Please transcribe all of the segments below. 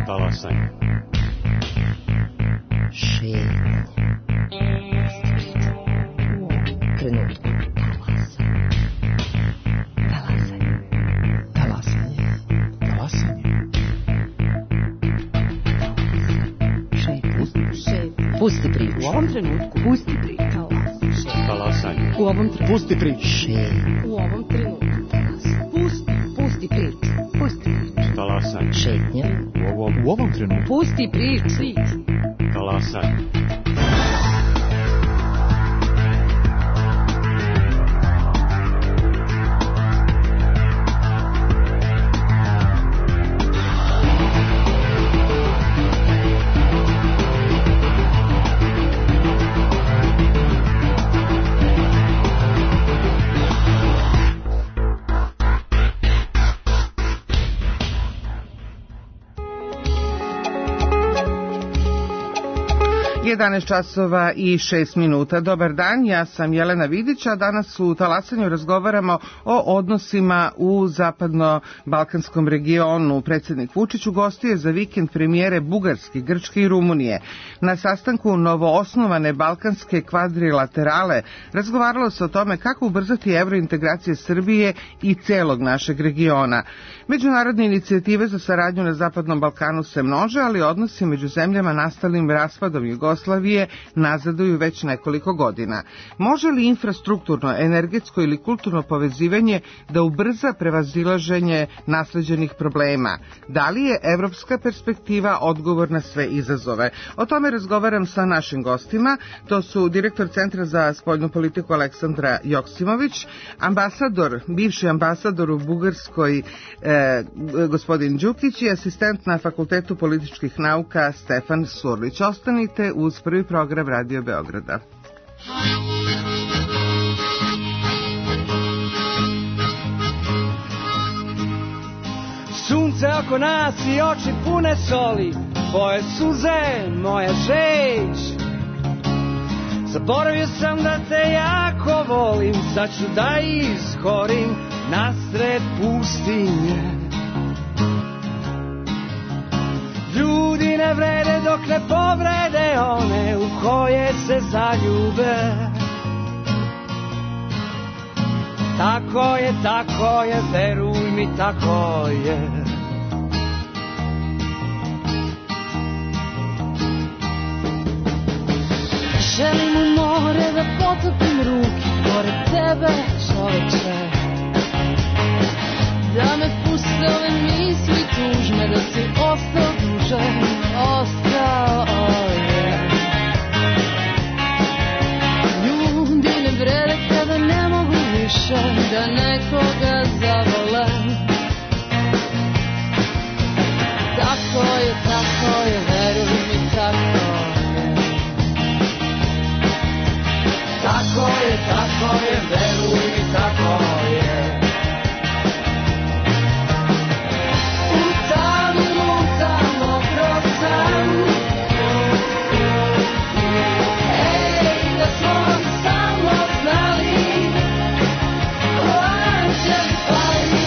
Talasanje. Šetnja. Trenutku. Talasanje. Talasanje. Talasanje. Šetnja. Pusti priču. U ovom trenutku. Pusti priču. Talasanje. U ovom trenutku. Pusti priču. Šetnja. U ovom trenutku. Pusti priču. Pusti priču. Talasanje. Šetnja. U ovom trenutku. Pusti priču. Talasanje. časova i 6 minuta. Dobar dan, ja sam Jelena Vidić, a danas u Talasanju razgovaramo o odnosima u zapadno-balkanskom regionu. Predsjednik Vučić ugostio za vikend premijere Bugarske, Grčke i Rumunije. Na sastanku novoosnovane balkanske kvadrilaterale razgovaralo se o tome kako ubrzati evrointegracije Srbije i celog našeg regiona. Međunarodne inicijative za saradnju na Zapadnom Balkanu se množe, ali odnosi među zemljama nastalim raspadom Jugoslavije nazaduju već nekoliko godina. Može li infrastrukturno, energetsko ili kulturno povezivanje da ubrza prevazilaženje nasleđenih problema? Da li je evropska perspektiva odgovor na sve izazove? O tome razgovaram sa našim gostima. To su direktor Centra za spoljnu politiku Aleksandra Joksimović, bivši ambasador u Bugarskoj gospodin Đukić i asistent na Fakultetu političkih nauka Stefan Surlić. Ostanite uz prvi program Radio Beograda. Sunce oko nas i oči pune soli, tvoje suze, moja žeć. Zaboravio sam da te jako volim, sad ću da ishorim nasred pustinje. Ljudi ne vrede dok ne povrede one u koje se zaljube. Tako je, veruj mi, tako je. Želim u more da potopim ruke pored tebe, čoveče. Da me puste ove misli tužne, da si ostao duže, ostao je. Ljudi ne vrede kada ne mogu više da nekoga zavole. Tako je, veruj mi, tako je. Tako je, veruj mi, tako je. Lutamo kroz san. Ej, da smo samo znali ko će pali.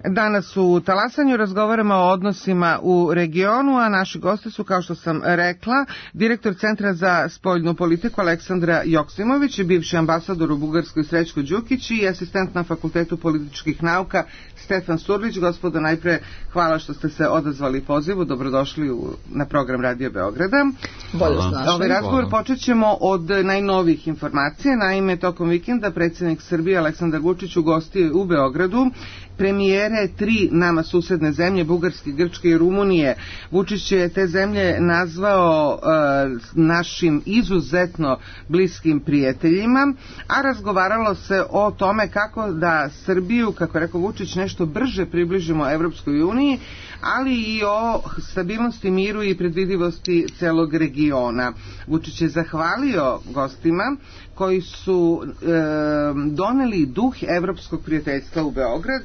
Danas u Talasanju razgovaramo o odnosima u regionu, a naši gosti su, kao što sam rekla, direktor Centra za spoljnu politiku Aleksandra Joksimović, bivši ambasador u Bugarskoj Srećko Đukić i asistent na Fakultetu političkih nauka Stefan Surlić. Gospodo, najpre hvala što ste se odazvali pozivu, dobrodošli na program Radio Beograda. Bolje s našim. Ovaj razgovor počet ćemo od najnovijih informacija. Naime, tokom vikenda predsjednik Srbije Aleksandar Vučić ugostio u Beogradu premijere 3 nama susedne zemlje, Bugarske, Grčke i Rumunije. Vučić je te zemlje nazvao našim izuzetno bliskim prijateljima, a razgovaralo se o tome kako da Srbiju, kako je rekao Vučić, nešto brže približimo Evropskoj uniji, ali i o stabilnosti, miru i predvidivosti celog regiona. Vučić je zahvalio gostima koji su doneli duh evropskog prijateljstva u Beograd,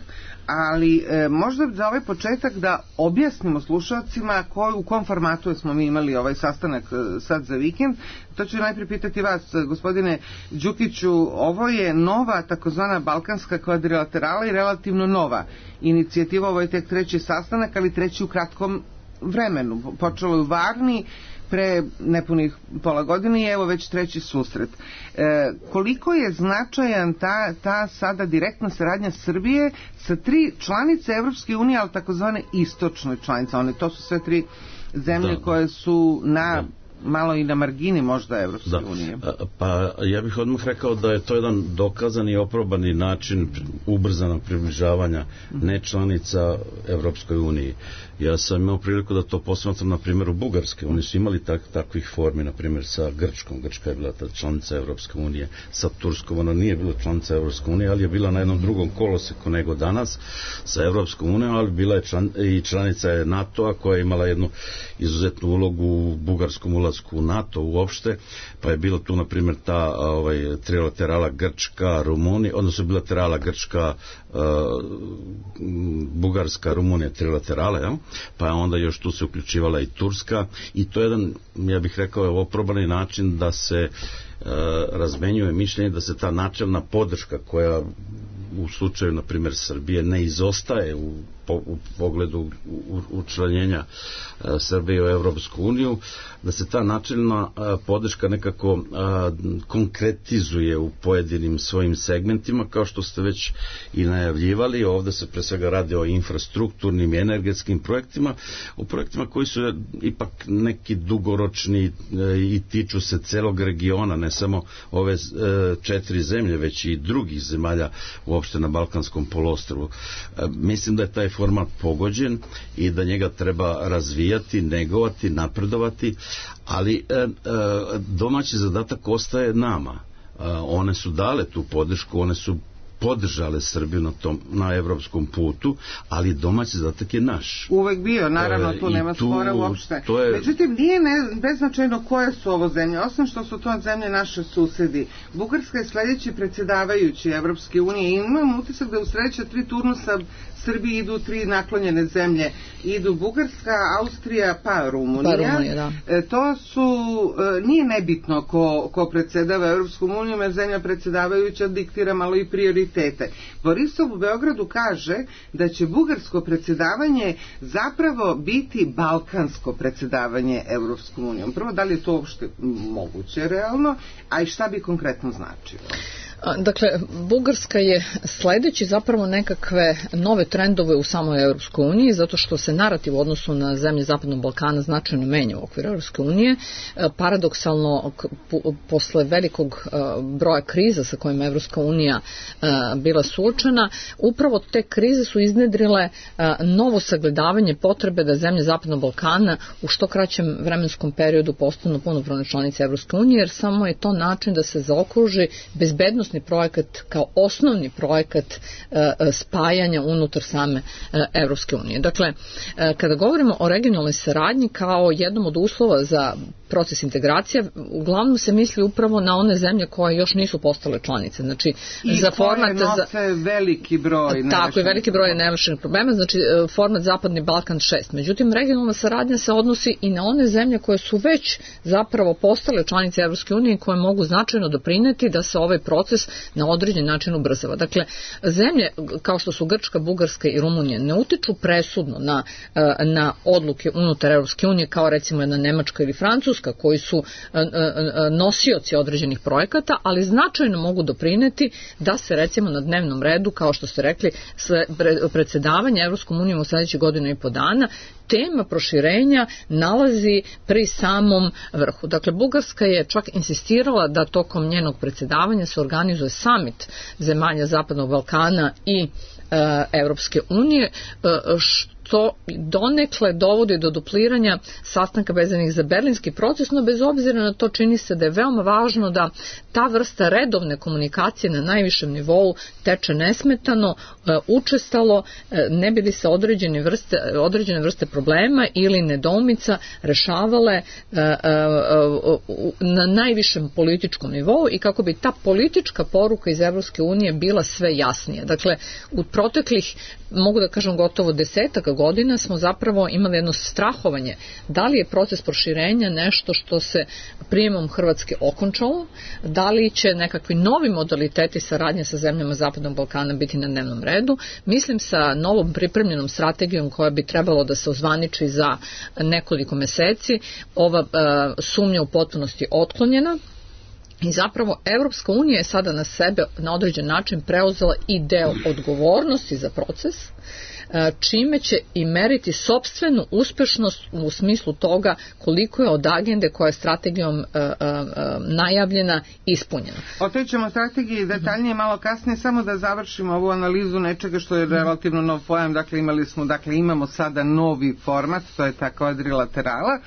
ali možda za ovaj početak da objasnimo slušalcima u kom formatu smo mi imali ovaj sastanak sad za vikend. To ću najprije pitati vas, gospodine Đukiću, ovo je nova takozvana balkanska kvadrilaterala i relativno nova inicijativa, ovo je tek 3. sastanak, ali 3. u kratkom vremenu. Počelo je u Varni pre nepunih pola godine i evo već 3. susret. Koliko je značajan ta sada direktna saradnja Srbije sa 3 članice Evropske unije, ali takozvane istočne članice? To su sve 3 zemlje koje su malo i na margini možda Evropske unije. Pa ja bih odmah rekao da je to jedan dokazani i oprobani način ubrzanog približavanja nečlanica Evropskoj uniji. Ja sam imao priliku da to posmatram na primjeru Bugarske. Oni su imali takvih formi, na primjer sa Grčkom. Grčka je bila članica Evropske unije. Sa Turskom ona nije bila članica Evropske unije, ali je bila na jednom drugom koloseku nego danas sa Evropskom unijom, ali bila je i članica je NATO-a koja je imala jednu izuzetnu ulogu u bugarskom ulasku u NATO uopšte, pa je bilo tu na primjer ta trilaterala Grčka, Rumunija, odnosno bilaterala Grčka, Bugarska, Rumunija, trilaterala, jel? Pa onda još tu se uključivala i Turska i to je jedan, ja bih rekao, oprobani način da se razmenjuje mišljenje, da se ta načelna podrška koja u slučaju, na primjer, Srbije ne izostaje u pogledu učlanjenja Srbije u Evropsku uniju, da se ta načelna podrška nekako konkretizuje u pojedinim svojim segmentima, kao što ste već i najavljivali. Ovdje se pre svega radi o infrastrukturnim i energetskim projektima, o projektima koji su ipak neki dugoročni i tiču se celog regiona, ne samo ove 4 zemlje, već i drugih zemalja uopšte na Balkanskom poluostrvu. Mislim da je taj format pogođen i da njega treba razvijati, negovati, napredovati, ali domaći zadatak ostaje nama. One su dale tu podršku, one su podržale Srbiju na evropskom putu, ali domaći zadatak je naš. Uvek bio, naravno, tu nema spora uopšte. Međutim, nije beznačajno koje su ovo zemlje, osim što su to zemlje naše susedi. Bugarska je sledeći predsjedavajući Evropske unije i imam utisak da u sledeća 3 turnusa Srbiji idu 3 naklonjene zemlje. Idu Bugarska, Austrija, pa Rumunija. To su, nije nebitno ko predsjedava Evropskom unijom, jer zemlja predsjedavajuća diktira malo i prioritete. Borisov u Beogradu kaže da će bugarsko predsjedavanje zapravo biti balkansko predsjedavanje Evropskom unijom. Prvo, da li je to uopšte moguće realno, a i šta bi konkretno značilo? Dakle, Bugarska je sledeći zapravo nekakve nove trendove u samoj Europskoj uniji, zato što se narativ u odnosu na zemlje Zapadnog Balkana značajno menja u okviru Europske unije. Paradoksalno, posle velikog broja kriza sa kojima Europska unija bila suočena, upravo te krize su iznedrile novo sagledavanje potrebe da zemlje Zapadnog Balkana u što kraćem vremenskom periodu postanu punopravne članice Europske unije, jer samo je to način da se zaokruži bezbednost projekat kao osnovni projekat spajanja unutar same Evropske unije. Dakle, kada govorimo o regionalnoj saradnji kao jednom od uslova za proces integracija, uglavnom se misli upravo na one zemlje koje još nisu postale članice. Znači, i za koje format nose veliki broj. Tako, i veliki broj nerešenih problema, znači format Zapadni Balkan 6. Međutim, regionalna saradnja se odnosi i na one zemlje koje su već zapravo postale članice Evropske unije i koje mogu značajno doprineti da se ovaj proces na određen način ubrzava. Dakle, zemlje kao što su Grčka, Bugarska i Rumunija ne utiču presudno na odluke unutar Evropske unije kao recimo jedna Nemačka ili Francuska koji su nosioci određenih projekata, ali značajno mogu doprineti da se recimo na dnevnom redu, kao što ste rekli, predsedavanje Evropskom unijom u sledećih godinu i po dana, tema proširenja nalazi pri samom vrhu. Dakle, Bugarska je čak insistirala da tokom njenog predsedavanja se organizuje samit zemalja Zapadnog Balkana i Evropske unije, što donekle dovodi do dupliranja sastanka vezanih za berlinski proces, no bez obzira na to čini se da je veoma važno da ta vrsta redovne komunikacije na najvišem nivou teče nesmetano, učestalo, ne bi li se određene vrste problema ili nedoumica rešavale na najvišem političkom nivou i kako bi ta politička poruka iz Evropske unije bila sve jasnija. Dakle, u proteklih, mogu da kažem, gotovo 10 godina smo zapravo imali jedno strahovanje da li je proces proširenja nešto što se prijemom Hrvatske okončalo, da li će nekakvi novi modaliteti saradnje sa zemljama Zapadnog Balkana biti na dnevnom redu. Mislim sa novom pripremljenom strategijom koja bi trebalo da se ozvaniči za nekoliko meseci, ova sumnja u potpunosti otklonjena. I zapravo Evropska unija je sada na sebe na određen način preuzela i deo odgovornosti za proces, čime će i meriti sopstvenu uspešnost u smislu toga koliko je od agende koja je strategijom najavljena ispunjena. Otićemo strategiji detaljnije malo kasnije, samo da završimo ovu analizu nečega što je relativno nov pojam. Imamo sada novi format, to je ta kvadrilaterala.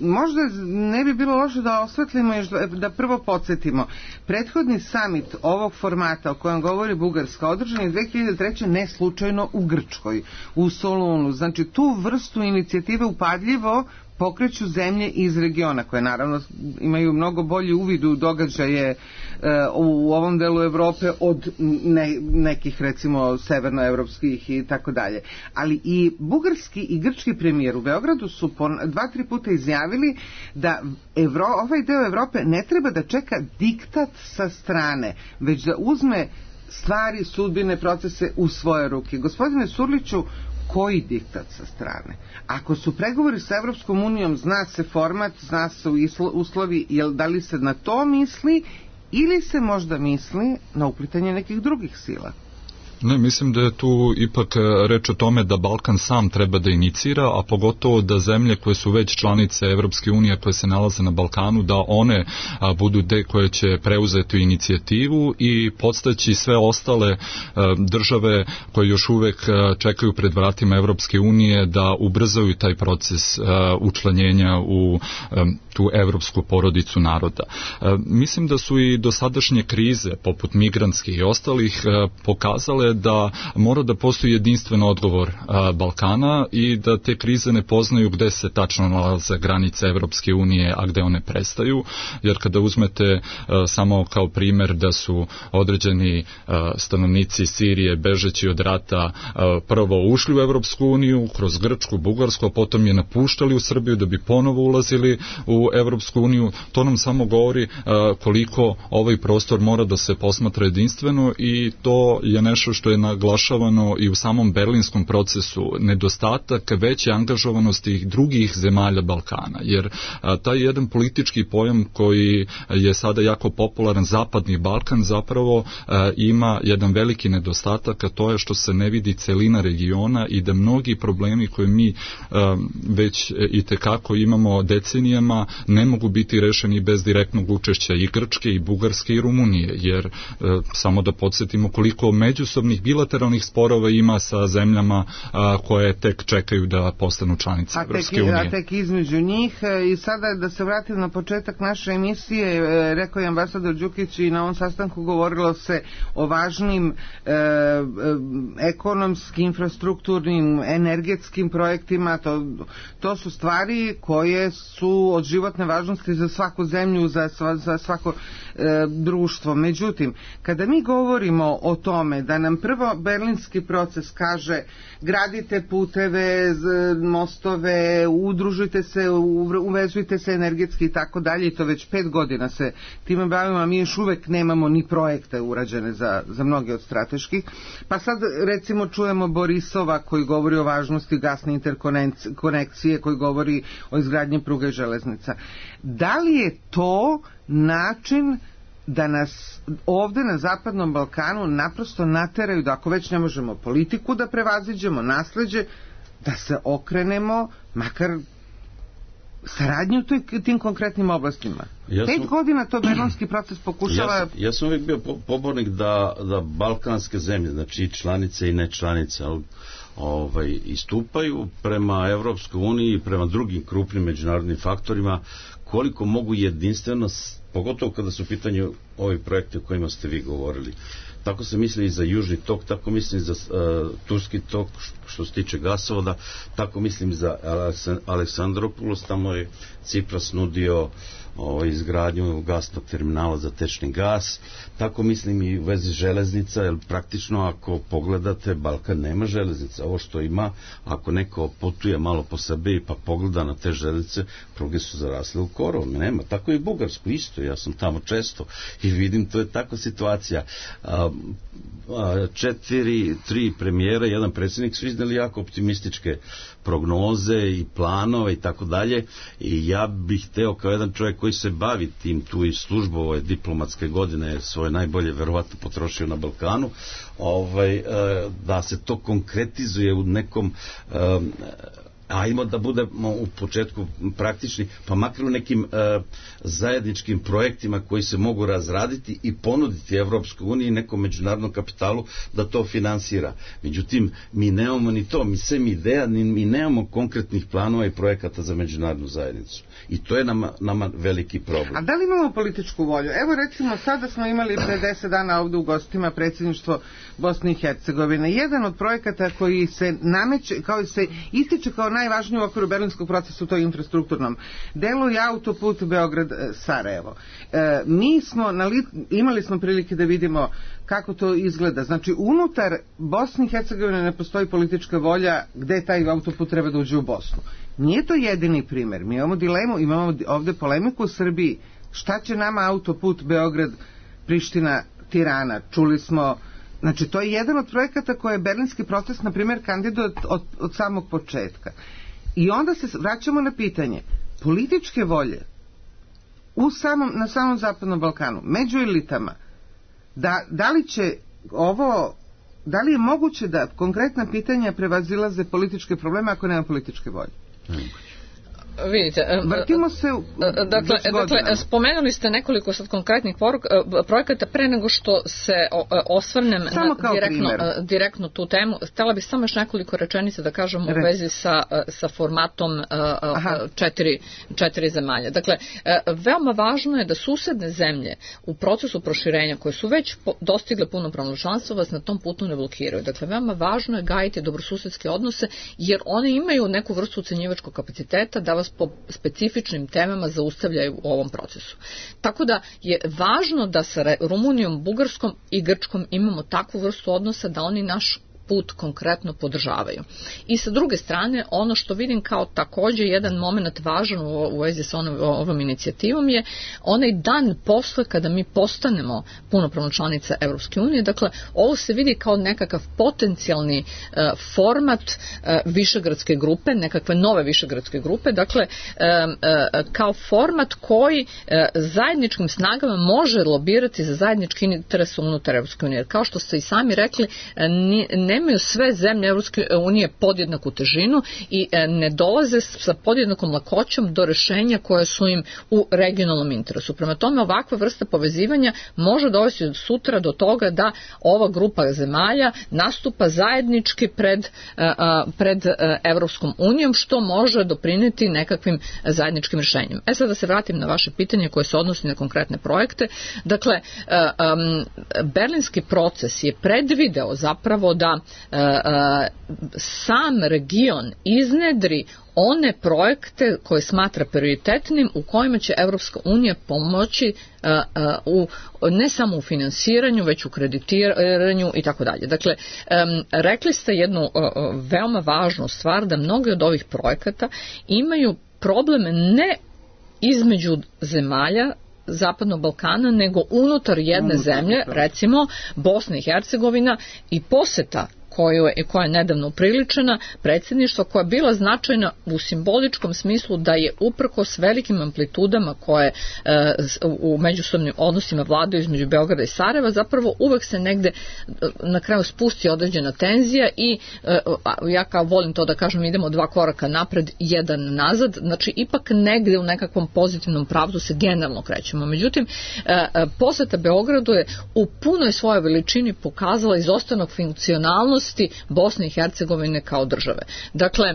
Možda ne bi bilo loše da osvetlimo još, da prvo podsjetimo. Prethodni samit ovog formata o kojem govori Bugarska održan je 2003. ne slučajno u Grčkoj, u Solunu. Znači, tu vrstu inicijative upadljivo pokreću zemlje iz regiona, koje naravno imaju mnogo bolji uvid u događaje u ovom delu Evrope od nekih, recimo, severnoevropskih i tako dalje. Ali i bugarski i grčki premijer u Beogradu su 2-3 puta izjavili da ovaj deo Evrope ne treba da čeka diktat sa strane, već da uzme stvari, sudbine, procese u svoje ruke. Gospodine Surliću, koji diktat sa strane? Ako su pregovori sa Evropskom unijom, zna se format, zna se uslovi, da li se na to misli ili se možda misli na uplitanje nekih drugih sila? Ne, mislim da je tu ipak reč o tome da Balkan sam treba da inicira, a pogotovo da zemlje koje su već članice Evropske unije koje se nalaze na Balkanu, da one budu te koje će preuzeti inicijativu i podstaći sve ostale države koje još uvek čekaju pred vratima Evropske unije da ubrzaju taj proces učlanjenja u tu evropsku porodicu naroda. Mislim da su i dosadašnje krize, poput migrantske i ostalih, pokazale da mora da postoji jedinstven odgovor Balkana i da te krize ne poznaju gde se tačno nalaze granice Evropske unije, a gde one prestaju, jer kada uzmete samo kao primer da su određeni stanovnici Sirije bežeći od rata prvo ušli u Evropsku uniju kroz Grčku, Bugarsku, a potom je napuštali u Srbiju da bi ponovo ulazili u Evropsku uniju, to nam samo govori koliko ovaj prostor mora da se posmatra jedinstveno i to je nešto što je naglašavano i u samom berlinskom procesu, nedostatak veće angažovanosti drugih zemalja Balkana, jer taj jedan politički pojam koji je sada jako popularan, Zapadni Balkan, zapravo ima jedan veliki nedostatak, a to je što se ne vidi celina regiona i da mnogi problemi koje mi već i tekako imamo decenijama ne mogu biti rešeni bez direktnog učešća i Grčke, i Bugarske, i Rumunije, jer samo da podsjetimo koliko međusobno međusobnih bilateralnih sporova ima sa zemljama koje tek čekaju da postanu članice Evropske unije. A tek između njih. I sada da se vratim na početak naše emisije, rekao je ambasador Đukić i na ovom sastanku govorilo se o važnim ekonomskim, infrastrukturnim, energetskim projektima. To su stvari koje su od životne važnosti za svaku zemlju, za svako društvo. Međutim, kada mi govorimo o tome da nam prvo berlinski proces kaže gradite puteve, mostove, udružite se, uvezujte se energetski i tako dalje, i to već 5 godina se time bavimo, a mi još uvek nemamo ni projekte urađene za mnoge od strateških. Pa sad recimo čujemo Borisova koji govori o važnosti gasne interkonekcije, koji govori o izgradnji pruga i železnica. Da li je to način da nas ovde na Zapadnom Balkanu naprosto nateraju da ako već ne možemo politiku da prevaziđemo, nasleđe, da se okrenemo makar saradnju u tim konkretnim oblastima? 5 godina to berlinski proces pokušava... Ja sam uvijek bio pobornik da balkanske zemlje, znači članice i nečlanice, istupaju prema Evropskoj uniji i prema drugim krupnim međunarodnim faktorima koliko mogu jedinstveno, pogotovo kada su u pitanju ovi projekti o kojima ste vi govorili. Tako se misli i za Južni tok, tako mislim i za Turski tok što se tiče gasovoda, tako mislim i za Aleksandropoulos, tamo je Cipras nudio izgradnju gasnog terminala za tečni gas, tako mislim i u vezi železnica, jer praktično ako pogledate, Balkan nema železnica. Ovo što ima, ako neko putuje malo po Srbiji pa pogleda na te železnice, pruge su zarasle u korov, nema. Tako i Bugarsku isto, ja sam tamo često i vidim, to je takva situacija. 3 premijera, jedan predsjednik su izneli jako optimističke prognoze i planove i tako dalje, i ja bih hteo kao jedan čovjek koji se bavi tim tu i službu ove diplomatske godine svoje najbolje verovatno potrošio na Balkanu, da se to konkretizuje u nekom ajmo da budemo u početku praktični, pa makar u nekim zajedničkim projektima koji se mogu razraditi i ponuditi Evropskoj uniji i nekom međunarodnom kapitalu da to finansira. Međutim, mi nemamo ni to, mi sem ideja, mi nemamo konkretnih planova i projekata za međunarodnu zajednicu. I to je nama veliki problem. A da li imamo političku volju? Evo recimo, sada smo imali pre 10 dana ovde u gostima predsjedništvo Bosne i Hercegovine. Jedan od projekata koji se nameće, kao se ističe kao najvažniji u okviru berlinskog procesa u toj infrastrukturnom delu je autoput Beograd-Sarajevo. Imali smo prilike da vidimo kako to izgleda. Znači, unutar Bosne i Hercegovine ne postoji politička volja gde taj autoput treba da uđe u Bosnu. Nije to jedini primer. Mi imamo dilemu, imamo ovde polemiku u Srbiji. Šta će nama autoput Beograd-Priština-Tirana? Čuli smo, znači to je jedan od projekata koje je berlinski proces, na primjer, kandiduje od samog početka. I onda se vraćamo na pitanje političke volje na samom Zapadnom Balkanu, među elitama, da li je moguće da konkretna pitanja prevazilaze političke probleme ako nema političke volje? Vidite, vrtimo se dakle, spomenuli ste nekoliko sad konkretnih projekata. Pre nego što se osvrnem direktno tu temu, htjela bih samo još nekoliko rečenica da kažem u vezi sa formatom 4 zemalja. Dakle, veoma važno je da susedne zemlje u procesu proširenja koje su već dostigle punopravno članstvo vas na tom putu ne blokiraju. Dakle, veoma važno je gajiti dobrosusedske odnose, jer one imaju neku vrstu ucenjivačkog kapaciteta da vas po specifičnim temama zaustavljaju u ovom procesu. Tako da je važno da sa Rumunijom, Bugarskom i Grčkom imamo takvu vrstu odnosa da oni naš put konkretno podržavaju. I sa druge strane, ono što vidim kao također jedan moment važan u vezi sa ovom inicijativom je onaj dan posle kada mi postanemo punopravna članica Evropske unije. Dakle, ovo se vidi kao nekakav potencijalni format višegradske grupe, nekakve nove višegradske grupe, dakle, kao format koji zajedničkim snagama može lobirati za zajednički interes unutar Evropske unije. Kao što ste i sami rekli, ne nemaju sve zemlje Evropske unije podjednaku težinu i ne dolaze sa podjednakom lakoćom do rešenja koje su im u regionalnom interesu. Prema tome, ovakva vrsta povezivanja može dovesti sutra do toga da ova grupa zemalja nastupa zajednički pred Evropskom unijom, što može doprineti nekakvim zajedničkim rešenjem. Sad da se vratim na vaše pitanje koje se odnosi na konkretne projekte. Dakle, berlinski proces je predvideo zapravo da sam region iznedri one projekte koje smatra prioritetnim u kojima će Evropska unija pomoći ne samo u finansiranju, već u kreditiranju i tako dalje. Dakle, rekli ste jednu veoma važnu stvar, da mnogi od ovih projekata imaju probleme ne između zemalja Zapadnog Balkana, nego unutar jedne zemlje, recimo Bosna i Hercegovina, i poseta koja je nedavno upriličena predsjedništva, koja je bila značajna u simboličkom smislu da je uprkos velikim amplitudama koje u međusobnim odnosima vladaju između Beograda i Sarajeva, zapravo uvek se negde na kraju spusti određena tenzija i ja kao volim to da kažem, idemo 2 koraka napred, 1 nazad, znači ipak negde u nekakvom pozitivnom pravcu se generalno krećemo. Međutim, poseta Beogradu je u punoj svojoj veličini pokazala izostanak funkcionalnosti Bosne i Hercegovine kao države. Dakle,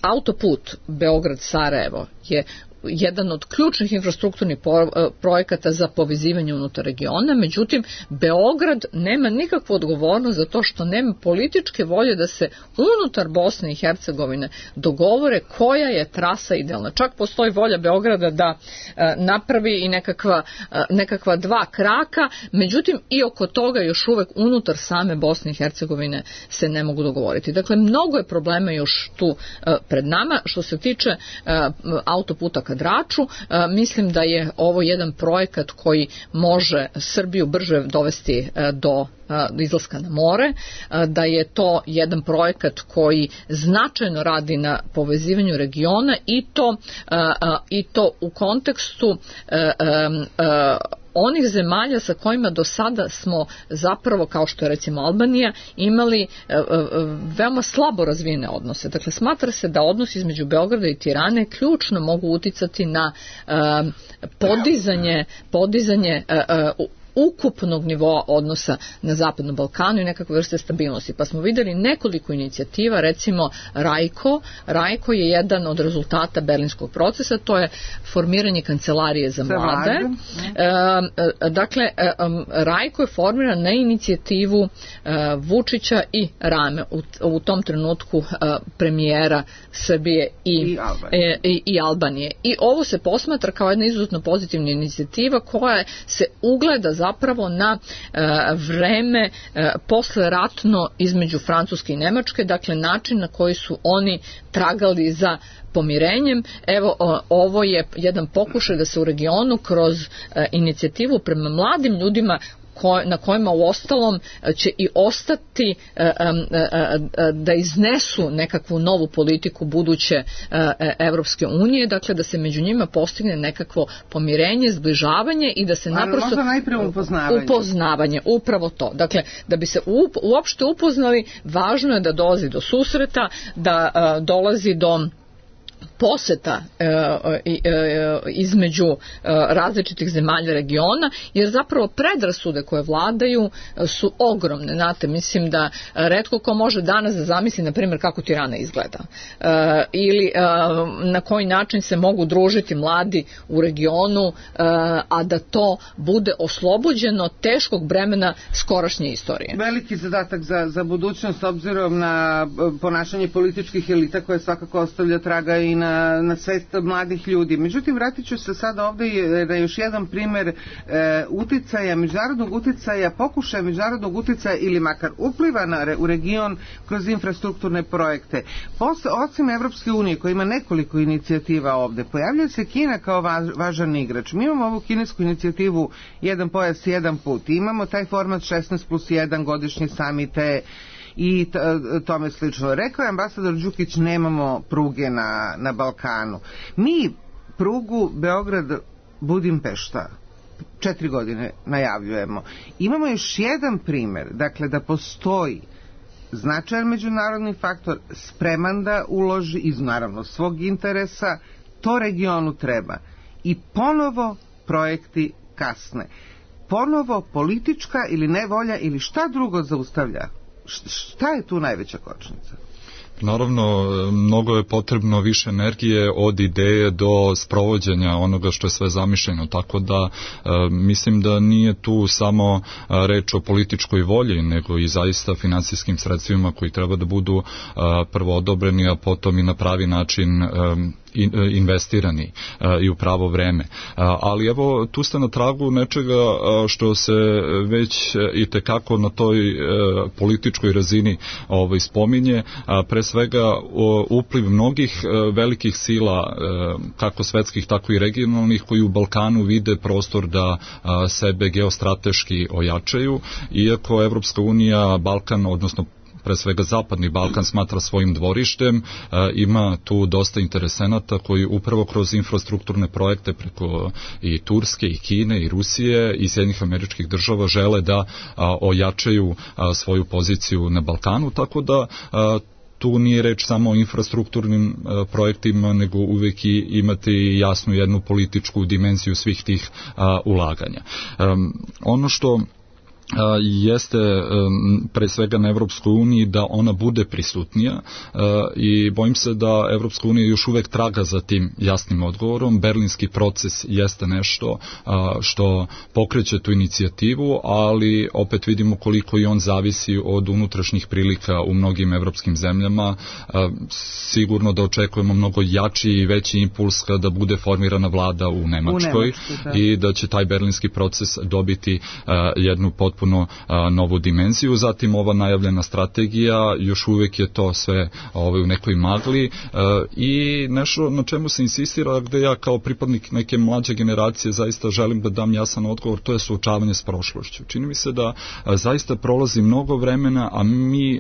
autoput Beograd-Sarajevo je jedan od ključnih infrastrukturnih projekata za povezivanje unutar regiona, međutim Beograd nema nikakvu odgovornost za to što nema političke volje da se unutar Bosne i Hercegovine dogovore koja je trasa idealna. Čak postoji volja Beograda da napravi i nekakva 2 kraka, međutim i oko toga još uvek unutar same Bosne i Hercegovine se ne mogu dogovoriti. Dakle, mnogo je problema još tu pred nama. Što se tiče autoputa ka Draču, mislim da je ovo jedan projekat koji može Srbiju brže dovesti do izlaska na more, da je to jedan projekat koji značajno radi na povezivanju regiona i to u kontekstu onih zemalja sa kojima do sada smo zapravo, kao što je recimo Albanija, imali veoma slabo razvijene odnose. Dakle, smatra se da odnos između Beograda i Tirane ključno mogu uticati na podizanje ukupnog nivoa odnosa na Zapadnom Balkanu i nekakve vrste stabilnosti. Pa smo videli nekoliko inicijativa, recimo Rajko je jedan od rezultata berlinskog procesa, to je formiranje kancelarije za mlade. Dakle, Rajko je formiran na inicijativu Vučića i Rame, u tom trenutku premijera Srbije i Albanije. I ovo se posmatra kao jedna izuzetno pozitivna inicijativa koja se ugleda zapravo na vreme posleratno između Francuske i Nemačke, dakle način na koji su oni tragali za pomirenjem. Evo, ovo je jedan pokušaj da se u regionu kroz inicijativu prema mladim ljudima na kojima u ostalom će i ostati da iznesu nekakvu novu politiku buduće Evropske unije, dakle da se među njima postigne nekakvo pomirenje, zbližavanje i da se naprosto... možda najprije upoznavanje, upravo to. Dakle, da bi se uopšte upoznali, važno je da dolazi do susreta, da dolazi do poseta između različitih zemalja regiona, jer zapravo predrasude koje vladaju su ogromne. Znate, mislim da retko ko može danas da zamisli, na primjer, kako Tirana izgleda ili na koji način se mogu družiti mladi u regionu, a da to bude oslobođeno teškog bremena skorašnje istorije. Veliki zadatak za budućnost, obzirom na ponašanje političkih elita koje svakako ostavlja traga i na svest mladih ljudi. Međutim, vratit ću se sada ovdje na još jedan primjer uticaja, međunarodnog uticaja, pokušaja međunarodnog uticaja ili makar upliva u region kroz infrastrukturne projekte. Osim Evropske unije, koja ima nekoliko inicijativa ovdje, pojavljuje se Kina kao važan igrač. Mi imamo ovu kinesku inicijativu Jedan pojas, jedan put. Imamo taj format 16+1 godišnje samite i tome slično. Rekao je ambasador Đukić, nemamo pruge na Balkanu. Mi prugu Beograd-Budimpešta 4 godine najavljujemo. Imamo još jedan primer, dakle da postoji značajan međunarodni faktor spreman da uloži iz naravno svog interesa, to regionu treba. I ponovo projekti kasne. Ponovo politička ili nevolja ili šta drugo zaustavlja? Šta je tu najveća kočnica? Naravno, mnogo je potrebno više energije od ideje do sprovođenja onoga što je sve zamišljeno, tako da mislim da nije tu samo reč o političkoj volji, nego i zaista finansijskim sredstvima koji treba da budu prvo odobreni, a potom i na pravi način investirani i u pravo vreme. Ali evo, tu ste na tragu nečega što se već i tekako na toj političkoj razini spominje, pre svega upliv mnogih velikih sila, kako svetskih, tako i regionalnih, koji u Balkanu vide prostor da sebe geostrateški ojačaju, iako Evropska unija Balkan, odnosno pre svega Zapadni Balkan smatra svojim dvorištem, ima tu dosta interesenata koji upravo kroz infrastrukturne projekte preko i Turske, i Kine, i Rusije, i Sjedinjenih Američkih Država žele da ojačaju svoju poziciju na Balkanu, tako da tu nije reč samo o infrastrukturnim projektima, nego uvek i imate jasnu jednu političku dimenziju svih tih ulaganja. Ono što jeste pre svega na Evropskoj uniji da ona bude prisutnija i bojim se da Evropska unija još uvek traga za tim jasnim odgovorom. Berlinski proces jeste nešto što pokreće tu inicijativu, ali opet vidimo koliko i on zavisi od unutrašnjih prilika u mnogim evropskim zemljama. Sigurno da očekujemo mnogo jači i veći impuls kada bude formirana vlada u Nemačkoj i da će taj berlinski proces dobiti jednu potpuno novu dimenziju. Zatim ova najavljena strategija, još uvek je to sve u nekoj magli i nešto na čemu se insistira, gde ja kao pripadnik neke mlađe generacije zaista želim da dam jasan odgovor, to je suočavanje s prošlošću. Čini mi se da zaista prolazi mnogo vremena, a mi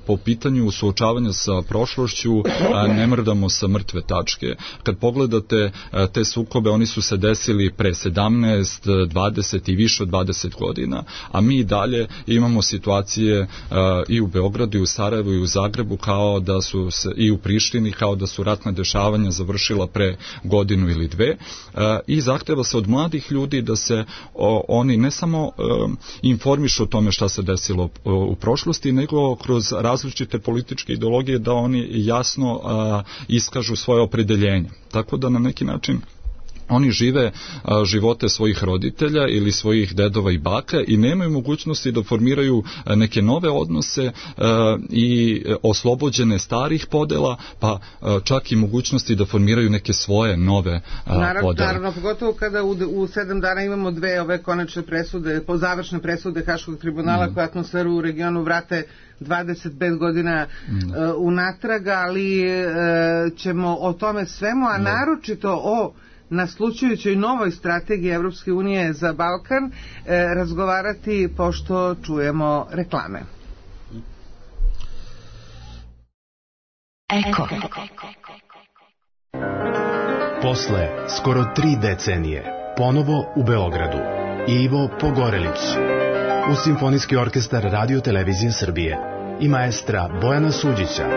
po pitanju suočavanja sa prošlošću ne mrdamo sa mrtve tačke. Kad pogledate te sukobe, oni su se desili pre 17, 20 i više od 20 godina, a mi dalje imamo situacije i u Beogradu, i u Sarajevu, i u Zagrebu, kao da su se, i u Prištini, kao da su ratna dešavanja završila pre godinu ili dve, i zahteva se od mladih ljudi da se oni ne samo informišu o tome šta se desilo u prošlosti, nego kroz različite političke ideologije da oni jasno iskažu svoje opredeljenje. Tako da na neki način oni žive živote svojih roditelja ili svojih dedova i baka i nemaju mogućnosti da formiraju neke nove odnose i oslobođene starih podela, pa čak i mogućnosti da formiraju neke svoje nove podele. Naravno, pogotovo kada u 7 dana imamo dve ove konačne presude, završne presude Haškog tribunala koje atmosferu u regionu vrate 25 godina unatrag, ali ćemo o tome svemu, a naročito o naslučujućoj novoj strategiji Evropske unije za Balkan razgovarati pošto čujemo reklame. Eko. Posle skoro 3 decenije ponovo u Beogradu Ivo Pogorelić uz Simfonijski orkestar Radio Televizije Srbije i maestra Bojana Suđića.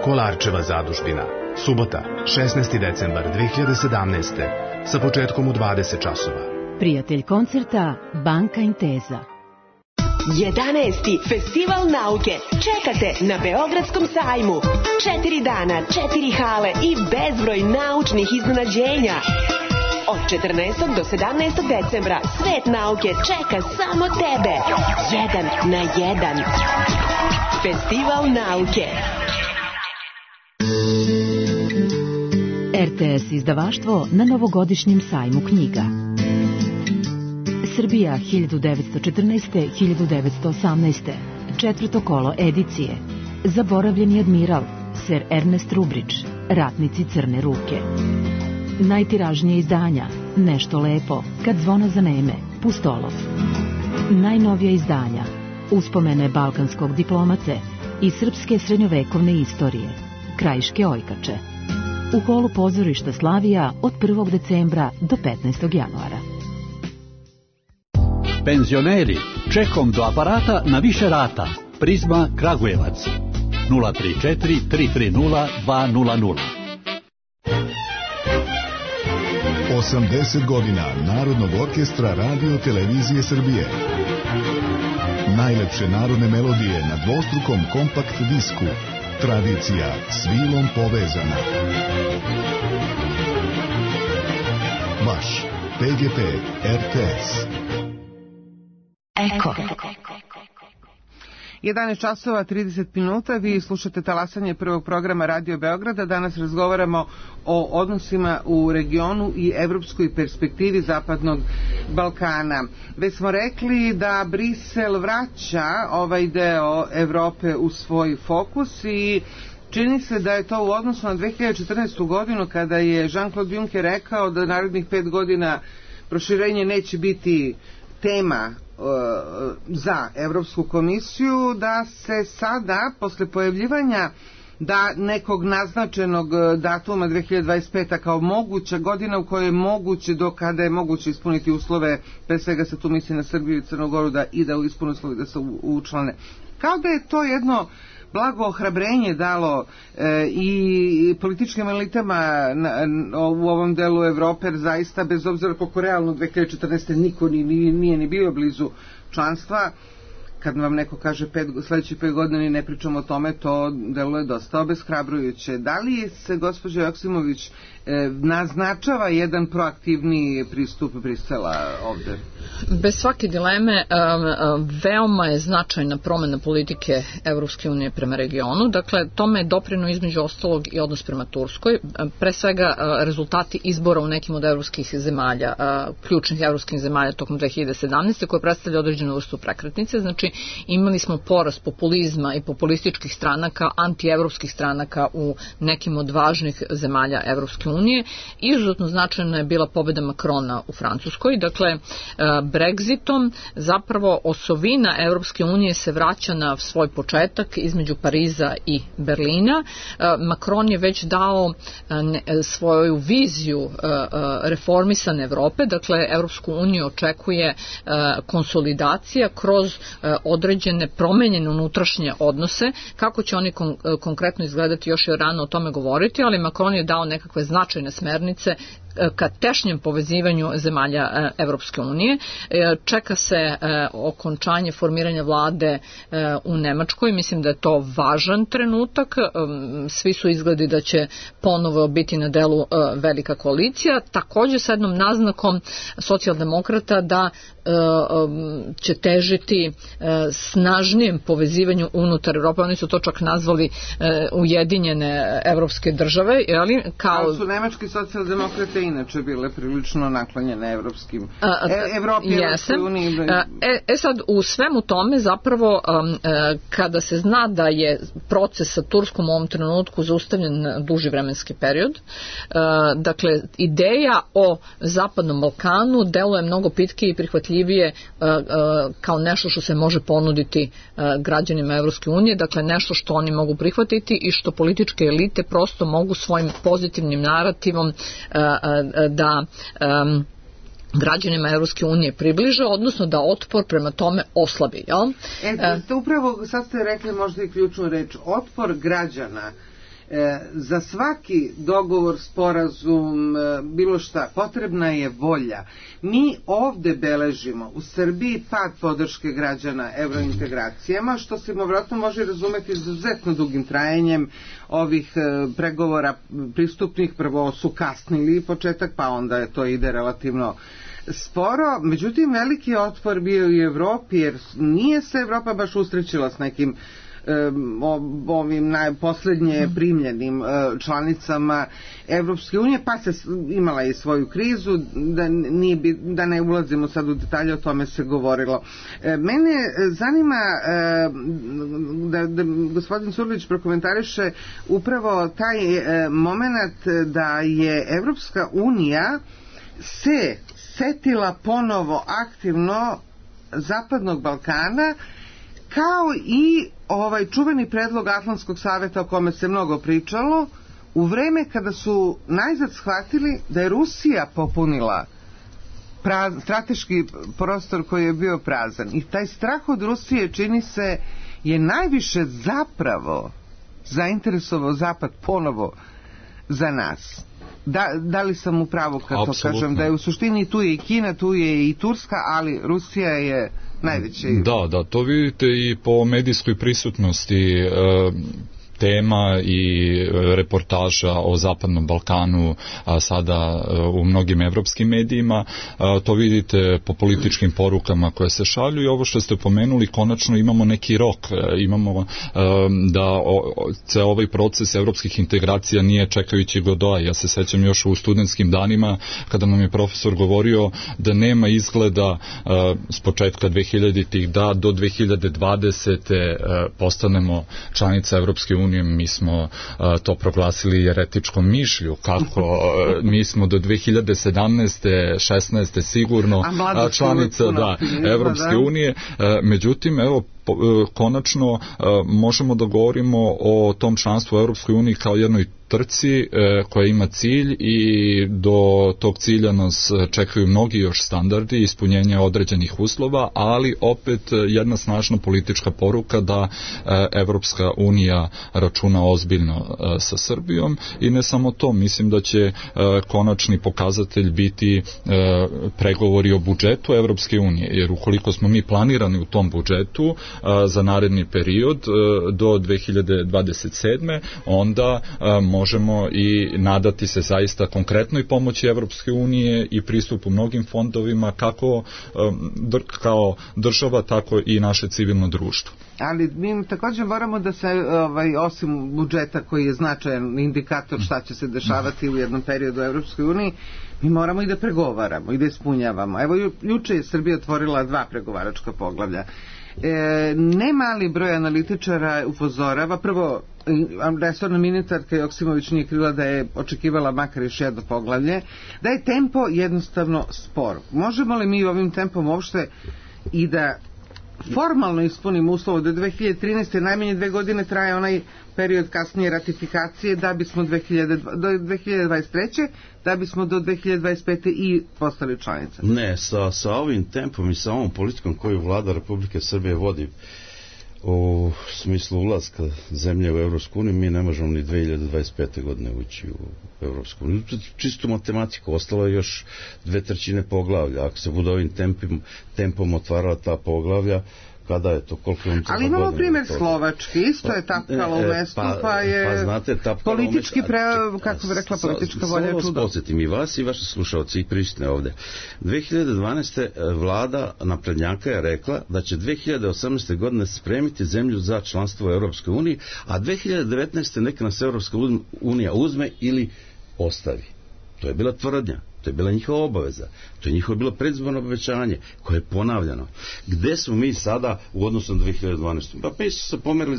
Kolarčeva zadužbina. Subota, 16. decembar 2017. sa početkom u 20 časova. Prijatelj koncerta Banka Inteza. 11. Festival nauke čekate na Beogradskom sajmu. 4 dana, 4 hale i bezbroj naučnih iznenađenja. Od 14. do 17. decembra svet nauke čeka samo tebe. 1 na 1. Festival nauke. RTS izdavaštvo na novogodišnjem sajmu knjiga. Srbija 1914-1918. Četvrto kolo edicije. Zaboravljeni admiral, Sir Ernest Rubridge, Ratnici crne ruke. Najtiražnije izdanja, Nešto lepo, Kad zvona zaneme, Pustolov. Najnovija izdanja, Uspomene balkanskog diplomate i srpske srednjovekovne istorije, Krajiške ojkače. u holu pozorišta Slavija od 1. decembra do 15. januara. Penzioneri, čekom do aparata na više rata. Prizma Kragujevac 034 330 200. 80 godina Narodnog orkestra Radio Televizije Srbije. Najlepše narodne melodije na dvostrukom kompakt disku. Tradicija s vilom povezana. Vaš PGP RTS. Eko. 11 časova 30 minuta, vi slušate talasanje prvog programa Radio Beograda. Danas razgovaramo o odnosima u regionu i evropskoj perspektivi Zapadnog Balkana. Već smo rekli da Brisel vraća ovaj deo Evrope u svoj fokus i čini se da je to u odnosu na 2014. godinu kada je Jean-Claude Juncker rekao da narednih 5 godina proširenje neće biti tema za Evropsku komisiju, da se sada, posle pojavljivanja da nekog naznačenog datuma 2025. kao moguća godina u kojoj je moguće, do kada je moguće ispuniti uslove, pre svega se tu misli na Srbiju i Crnogoru, da ispune uslove da se učlane. Kao da je to jedno blago ohrabrenje dalo i političkim elitama u ovom delu Evrope, jer zaista, bez obzira koliko realno 2014. niko nije ni bio blizu članstva, kad vam neko kaže sledećih 5 godina i ne pričamo o tome, to deluje dosta obeshrabrujuće. Da li se, gospođo Joksimović, naznačava jedan proaktivni pristup Brisela ovde? Bez svake dileme, veoma je značajna promena politike Evropske unije prema regionu. Dakle, tome je doprinuo između ostalog i odnos prema Turskoj. Pre svega, rezultati izbora u nekim od evropskih zemalja, ključnih evropskih zemalja tokom 2017. koje predstavlja određenu vrstu prekretnice. Znači, imali smo porast populizma i populističkih stranaka, antievropskih stranaka u nekim od važnih zemalja Evropske unije. Izuzetno značajna je bila pobeda Makrona u Francuskoj. Dakle, Brexitom zapravo osovina Evropske unije se vraća na svoj početak između Pariza i Berlina. Macron je već dao svoju viziju reformisane Evrope, dakle Evropsku uniju očekuje konsolidacija kroz određene promenjene unutrašnje odnose. Kako će oni konkretno izgledati, još je rano o tome govoriti, ali Macron je dao nekakve značajne smernice ka tešnjem povezivanju zemalja Evropske unije. Čeka se okončanje formiranja vlade u Nemačkoj. Mislim da je to važan trenutak. Svi su izgledi da će ponovo biti na delu velika koalicija. Takođe sa jednom naznakom socijaldemokrata da će težiti snažnijem povezivanju unutar Evrope. Oni su to čak nazvali ujedinjene evropske države. Kao su nemački socijaldemokrate inače bile prilično naklonjene evropskim Evropi, Evropskoj uniji. Sad, u svemu tome zapravo kada se zna da je proces sa Turskom u ovom trenutku zaustavljen na duži vremenski period, dakle, ideja o Zapadnom Balkanu deluje mnogo pitkije i prihvatljivije kao nešto što se može ponuditi građanima Evropske unije, dakle nešto što oni mogu prihvatiti i što političke elite prosto mogu svojim pozitivnim narativom da građanima Evropske unije približe, odnosno da otpor prema tome oslabi. Upravo sad ste rekli možda i ključnu reč, otpor građana. Za svaki dogovor, sporazum, bilo šta, potrebna je volja. Mi ovde beležimo u Srbiji pad podrške građana evrointegracijama, što se vjerojatno može razumeti izuzetno dugim trajanjem ovih pregovora pristupnih. Prvo su kasnili početak, pa onda to ide relativno sporo. Međutim, veliki je otpor bio i u Evropi, jer nije se Evropa baš usrećila s nekim ovim najposlednje primljenim članicama Evropske unije, pa se imala i svoju krizu, da ne ulazimo sad u detalje, o tome se govorilo. Mene zanima da gospodin Surlić prokomentariše upravo taj moment da je Evropska unija se setila ponovo aktivno Zapadnog Balkana, kao i ovaj čuveni predlog Atlantskog saveta o kome se mnogo pričalo, u vreme kada su najzad shvatili da je Rusija popunila strateški prostor koji je bio prazan. I taj strah od Rusije, čini se, je najviše zapravo zainteresovao Zapad ponovo za nas. Da li sam u pravu kad to kažem, da je u suštini tu je i Kina, tu je i Turska, ali Rusija je najveći. Da, to vidite i po medijskoj prisutnosti tema i reportaža o Zapadnom Balkanu sada u mnogim evropskim medijima. To vidite po političkim porukama koje se šalju i ovo što ste pomenuli, konačno imamo neki rok. Imamo da ceo ovaj proces evropskih integracija nije čekajući Godoa. Ja se sećam još u studentskim danima kada nam je profesor govorio da nema izgleda s početka 2000-ih da do 2020. Postanemo članica Evropske unije. Mi smo to proglasili jeretičkom mišlju, kako mi smo do 2017. 16. sigurno članica Evropske unije. Međutim, evo, konačno možemo da govorimo o tom članstvu u Evropskoj uniji kao jednoj trci koja ima cilj i do tog cilja nas čekaju mnogi još standardi, ispunjenje određenih uslova, ali opet jedna snažna politička poruka da Evropska unija računa ozbiljno sa Srbijom i ne samo to, mislim da će konačni pokazatelj biti pregovori o budžetu Evropske unije, jer ukoliko smo mi planirani u tom budžetu za naredni period do 2027. onda možemo i nadati se zaista konkretnoj pomoći Evropske unije i pristupu mnogim fondovima kako kao država, tako i naše civilno društvo. Ali mi također moramo da se, osim budžeta koji je značajan indikator šta će se dešavati u jednom periodu u Evropskoj uniji, mi moramo i da pregovaramo i da ispunjavamo. Evo, juče je Srbija otvorila 2 pregovaračka poglavlja. Ne mali broj analitičara upozorava, prvo, resorna ministarka Joksimović nije krila da je očekivala makar još jedno poglavlje, da je tempo jednostavno spor. Možemo li mi ovim tempom uopšte i da formalno ispunimo uslov do 2013. najmanje 2 godine traje onaj period kasnije ratifikacije da bismo do 2023. da bismo do 2025. i postali članica. Ne, sa ovim tempom i sa ovom politikom koju vlada Republike Srbije vodi u smislu ulaska zemlje u Evropsku uniju, mi ne možemo ni 2025. godine ući u Evropsku uniju. Čisto matematiku, ostalo je još 2/3 poglavlja. Ako se bude ovim tempom otvarala ta poglavlja, kada je to, koliko je ali imamo primjer Slovačke, isto je tapkalo u mestu, pa je znate, politički kako bi rekla, politička volja čudo. Samo podsjetim i vas i vaše slušalci i prisutne ovde. 2012. vlada naprednjaka je rekla da će 2018. godine spremiti zemlju za članstvo u Europskoj uniji, a 2019. neka nas Europska unija uzme ili ostavi. To je bila tvrdnja. To je bila njihova obaveza. To je njihovo bilo predizborno obećanje koje je ponavljano. Gde smo mi sada u odnosu na 2012. Pa mi su se pomerili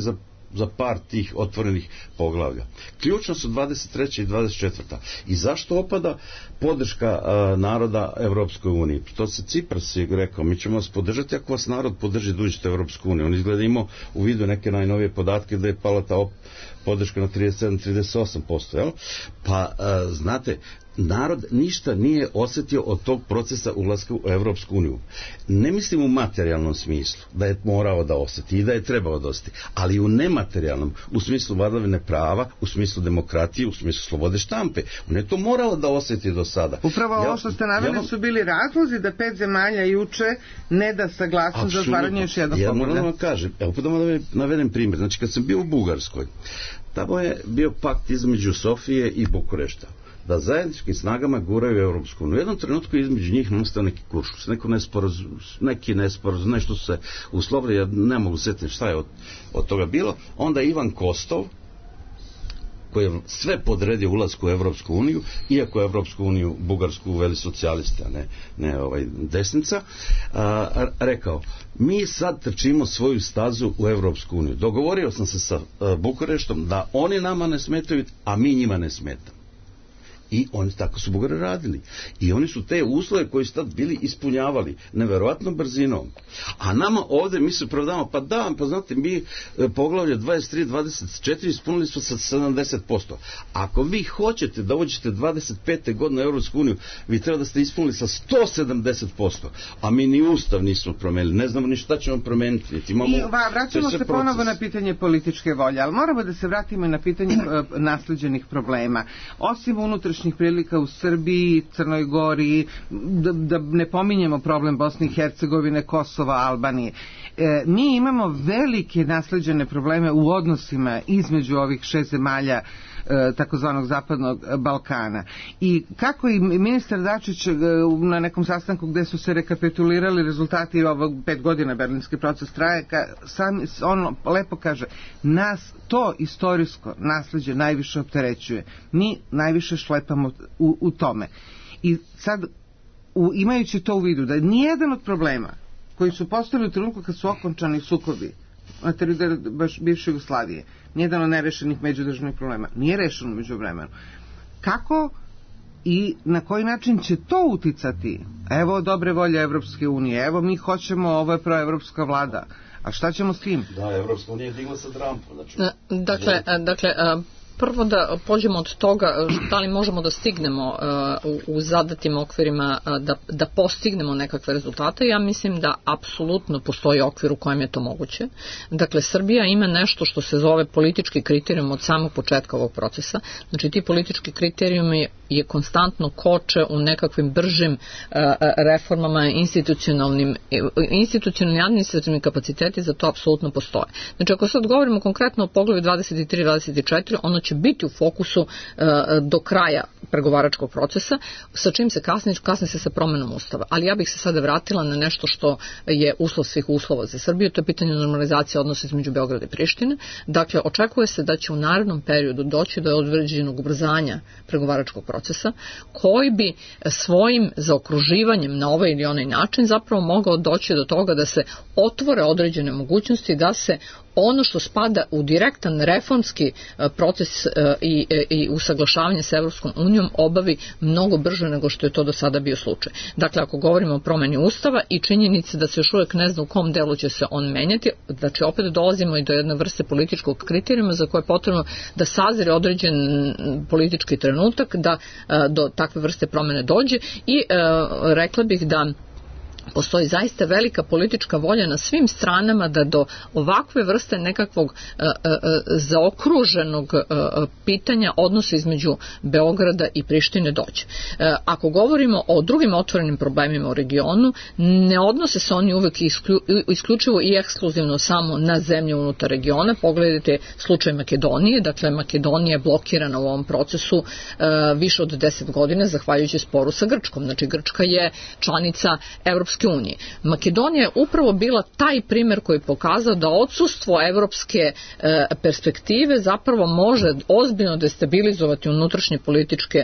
za par tih otvorenih poglavlja. Ključno su 23. i 24. I zašto opada podrška naroda Evropskoj uniji? To se Cipras je rekao, mi ćemo vas podržati ako vas narod podrži da uđete u Evropsku uniju. On izgleda imao u vidu neke najnovije podatke da je pala ta podrška na 37-38%. Jel? Pa, znate, narod ništa nije osjetio od tog procesa ulaska u Evropsku uniju. Ne mislim u materijalnom smislu da je morao da osjeti i da je trebao da osjeti, ali u nematerijalnom, u smislu vladavine prava, u smislu demokratije, u smislu slobode štampe. On je to morao da osjeti do sada. Upravo ovo što ste naveli su bili razlozi da 5 zemalja juče ne da saglasnost za otvaranje još jednog poglavlja. Ja moram da vam kažem, evo da vam navedem primjer. Znači, kad sam bio u Bugarskoj, tamo je bio pakt između Sofije i Bukurešta da zajedničkim snagama guraju Evropsku uniju. U jednom trenutku između njih nastao neki kuršus, neki nesporazum, nešto su se uslovili, ja ne mogu setiti šta je od toga bilo. Onda Ivan Kostov, koji je sve podredio ulasku u Evropsku uniju, iako je Evropsku uniju Bugarsku uveli socijalisti, a ne desnica, rekao, mi sad trčimo svoju stazu u Evropsku uniju. Dogovorio sam se sa Bukureštom da oni nama ne smetaju, a mi njima ne smetamo. I oni tako su Bugari radili. I oni su te uslove koji su tad bili ispunjavali neverovatnom brzinom. A nama ovde mi se pravdamo, pa znate, mi poglavlje 23-24 ispunili smo sa 70%. Ako vi hoćete da uđete 25. godine u Evropsku uniju, vi treba da ste ispunili sa 170%. A mi ni ustav nismo promenili. Ne znamo ni šta ćemo promeniti. Vraćamo se ponovo na pitanje političke volje, ali moramo da se vratimo i na pitanje nasleđenih problema. Osim unutrašnjih prilika u Srbiji, Crnoj Gori, da ne pominjemo problem Bosne i Hercegovine, Kosova, Albanije. Mi imamo velike nasleđene probleme u odnosima između ovih 6 zemalja takozvanog zapadnog Balkana. I kako i ministar Dačić na nekom sastanku gde su se rekapitulirali rezultati ovog 5 godina berlinski proces traje, on lepo kaže, nas to istorijsko nasleđe najviše opterećuje. Mi najviše šlepamo u tome. I sad, imajući to u vidu, da nijedan od problema koji su postojali u trenutku kad su okončani sukobi na teritoriji bivše Jugoslavije, nijedan od nerešenih međudržavnih problema nije rešeno među vremenu. Kako i na koji način će to uticati? Evo dobre volje Evropske unije, evo mi hoćemo, ovo je proevropska vlada. A šta ćemo s tim? Da, Evropska unija je digla sa Trumpom. Dakle, prvo da pođemo od toga da li možemo da stignemo u zadatim okvirima da postignemo nekakve rezultate. Ja mislim da apsolutno postoji okvir u kojem je to moguće. Dakle, Srbija ima nešto što se zove politički kriterijum od samog početka ovog procesa. Znači, ti politički kriterijumi je konstantno koče u nekakvim bržim reformama, institucionalni administrativni kapaciteti za to apsolutno postoje. Znači, ako sad govorimo konkretno o poglavlju 23-24, ono će biti u fokusu do kraja pregovaračkog procesa, sa čim se kasni se sa promenom ustava. Ali ja bih se sada vratila na nešto što je uslov svih uslova za Srbiju, to je pitanje normalizacije odnosa između Beograda i Prištine. Dakle, očekuje se da će u narednom periodu doći do određenog ubrzanja pregovaračkog procesa, koji bi svojim zaokruživanjem na ovaj ili onaj način zapravo mogao doći do toga da se otvore određene mogućnosti, da se ono što spada u direktan reformski proces i usaglašavanje sa Evropskom unijom obavi mnogo brže nego što je to do sada bio slučaj. Dakle, ako govorimo o promeni ustava i činjenice da se još uvijek ne zna u kom delu će se on menjati, znači opet dolazimo i do jedne vrste političkog kriterijuma za koje je potrebno da sazire određen politički trenutak da do takve vrste promene dođe i rekla bih da postoji zaista velika politička volja na svim stranama da do ovakve vrste nekakvog zaokruženog pitanja odnosa između Beograda i Prištine dođe. Ako govorimo o drugim otvorenim problemima u regionu, ne odnose se oni uvek isključivo i ekskluzivno samo na zemlje unutar regiona. Pogledajte slučaj Makedonije, dakle Makedonija je blokirana u ovom procesu više od 10 godina zahvaljujući sporu sa Grčkom. Znači Grčka je članica Evropske unije. Makedonija je upravo bila taj primer koji je pokazao da odsustvo evropske perspektive zapravo može ozbiljno destabilizovati unutrašnje politička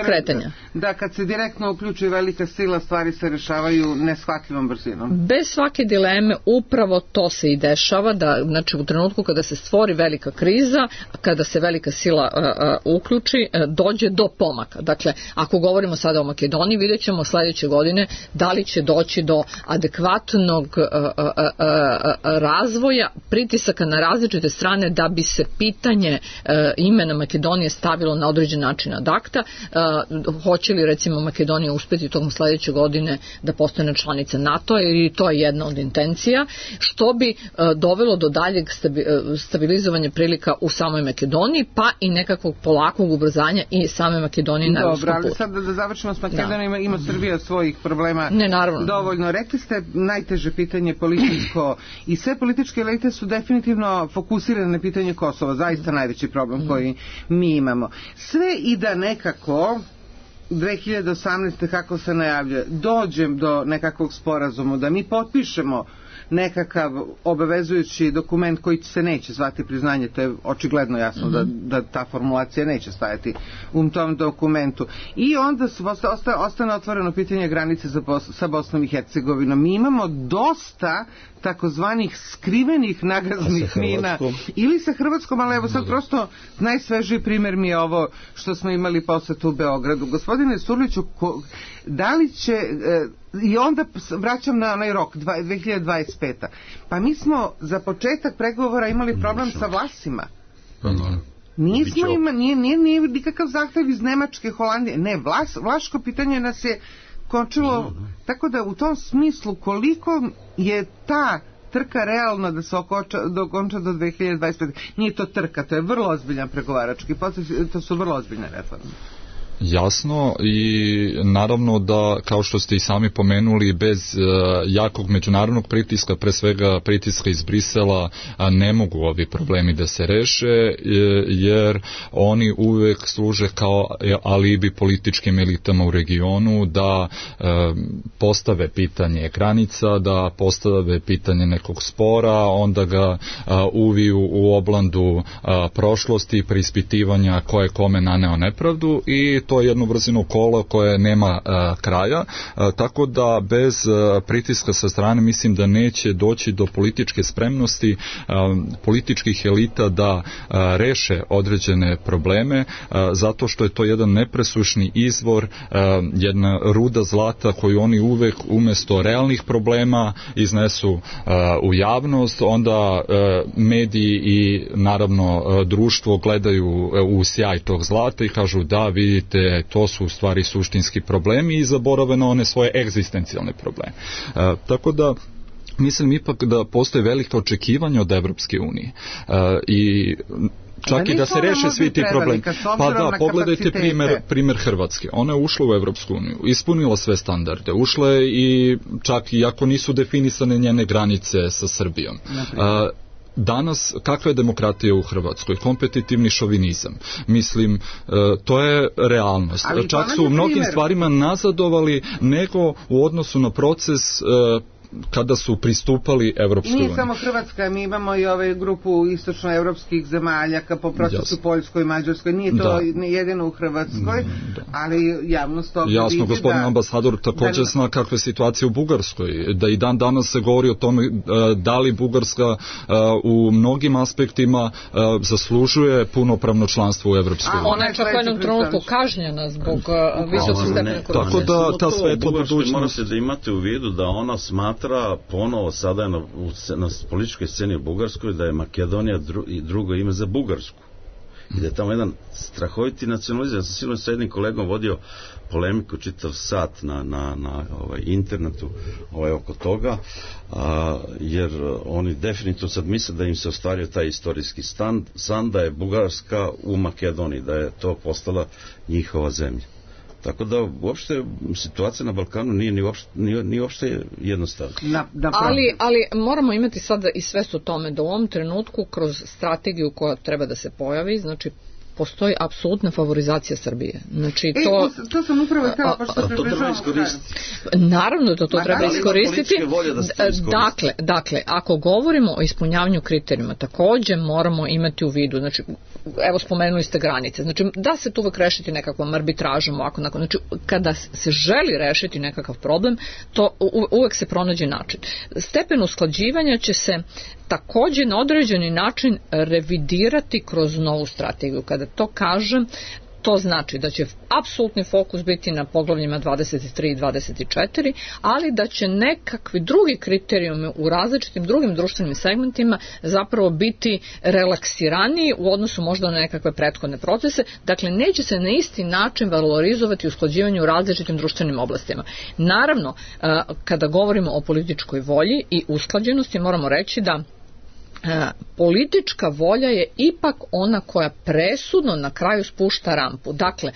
kretanja. Da, kad se direktno uključuje velika sila, stvari se rešavaju neshvatljivom brzinom. Bez svake dileme upravo to se i dešava, da znači u trenutku kada se stvori velika kriza, kada se velika sila uključi, dođe do pomaka. Dakle, ako govorimo sada o Makedoniji, vidjet ćemo sledeće godine da li će doći do adekvatnog razvoja pritisaka na različite strane da bi se pitanje imena Makedonije stavilo na određen način ad acta. Hoće li recimo Makedonija uspeti tokom sledeće godine da postane članica NATO, jer to je jedna od intencija, što bi dovelo do daljeg stabilizovanja prilika u samoj Makedoniji, pa i nekakvog polakog ubrzanja i same Makedonije na evropskom putu. Dobro, ali sad da završimo s Makedonijom, ima Srbija svojih problema dovoljno. Rekli ste najteže pitanje političko i sve političke elite su definitivno fokusirane na pitanje Kosova, zaista najveći problem koji mi imamo. Sve i da nekako 2018. kako se najavlja, dođem do nekakvog sporazuma, da mi potpišemo nekakav obavezujući dokument koji se neće zvati priznanje, to je očigledno jasno da ta formulacija neće stajati u tom dokumentu. I onda ostane otvoreno pitanje granice sa Bosnom i Hercegovinom. Mi imamo dosta takozvanih skrivenih nagaznih mina ili sa Hrvatskom, ali evo sad prosto najsvežiji primjer mi je ovo što smo imali posetu u Beogradu. Gospodine Surliću, da li će, i onda vraćam na onaj rok 2025. Pa mi smo za početak pregovora imali problem sa Vlasima. Nije nikakav zahtev iz Nemačke, Holandije, ne, vlaško pitanje nas je končilo, tako da u tom smislu koliko je ta trka realno da se dokonča do 2025. Nije to trka, to je vrlo ozbiljan pregovarački proces, to su vrlo ozbiljne reforme. Jasno, i naravno da, kao što ste i sami pomenuli, bez jakog međunarodnog pritiska, pre svega pritiska iz Brisela, ne mogu ovi problemi da se reše, jer oni uvek služe kao alibi političkim elitama u regionu da postave pitanje granica, da postave pitanje nekog spora, onda ga uviju u oblandu prošlosti, preispitivanja ko je kome naneo nepravdu, i to je jedno brzino kola koje nema kraja, tako da bez pritiska sa strane mislim da neće doći do političke spremnosti političkih elita da reše određene probleme, zato što je to jedan nepresušni izvor, jedna ruda zlata koju oni uvek umesto realnih problema iznesu u javnost, onda mediji i naravno društvo gledaju u sjaj tog zlata i kažu da, vidite, to su u stvari suštinski problemi i zaborave na one svoje egzistencijalne probleme. Tako da mislim ipak da postoje velika očekivanja od Evropske unije i čak i da se reše svi ti problemi. Pa da, pogledajte primjer Hrvatske. Ona je ušla u Evropsku uniju, ispunila sve standarde, ušla je i čak i ako nisu definisane njene granice sa Srbijom. Danas, kakva je demokratija u Hrvatskoj? Kompetitivni šovinizam. Mislim, to je realnost. Čak su u mnogim stvarima nazadovali nego u odnosu na proces kada su pristupali Evropskoj uniji. Nije samo Hrvatska, mi imamo i ove grupu istočnoevropskih zemalja po procesu Poljskoj i Mađarskoj. Nije to jedino u Hrvatskoj, ali javnost to vidi. Jasno, gospodin ambasador također zna kakva je situacija u Bugarskoj. Da i dan danas se govori o tome da li Bugarska u mnogim aspektima zaslužuje punopravno članstvo u Evropskoj uniji. Ona je čak u jednom trenutku kažnjena zbog visokog stepena korupcije. Tako da ta svetla budućnost. Morate da imate u vidu da ona smatra ponovo sada na političkoj sceni u Bugarskoj da je Makedonija drugo ime za Bugarsku i da je tamo jedan strahoviti nacionalizam. Ja sam sigurno sa jednim kolegom vodio polemiku čitav sat na internetu oko toga, jer oni definitivno sad misle da im se ostvario taj istorijski san da je Bugarska u Makedoniji, da je to postala njihova zemlja. Tako da uopšte situacija na Balkanu nije uopšte jednostavna. Ali moramo imati sada i svest o tome da u ovom trenutku kroz strategiju koja treba da se pojavi, znači postoji apsolutna favorizacija Srbije. Znači to sam upravo htjela, pa što to treba iskoristiti. Naravno da to treba iskoristiti. Dakle, ako govorimo o ispunjavanju kriterijuma, također moramo imati u vidu, znači, evo spomenuli ste granice, znači da se tu uvek rešiti nekakvom arbitražom, znači kada se želi rešiti nekakav problem, to uvek se pronađe način. Stepen usklađivanja će se također na određeni način revidirati kroz novu strategiju. Kada to kažem, to znači da će apsolutni fokus biti na poglavljima 23 i 24, ali da će nekakvi drugi kriterijumi u različitim drugim društvenim segmentima zapravo biti relaksiraniji u odnosu možda na nekakve prethodne procese. Dakle, neće se na isti način valorizovati usklađivanje u različitim društvenim oblastima. Naravno, kada govorimo o političkoj volji i usklađenosti, moramo reći da politička volja je ipak ona koja presudno na kraju spušta rampu. Dakle,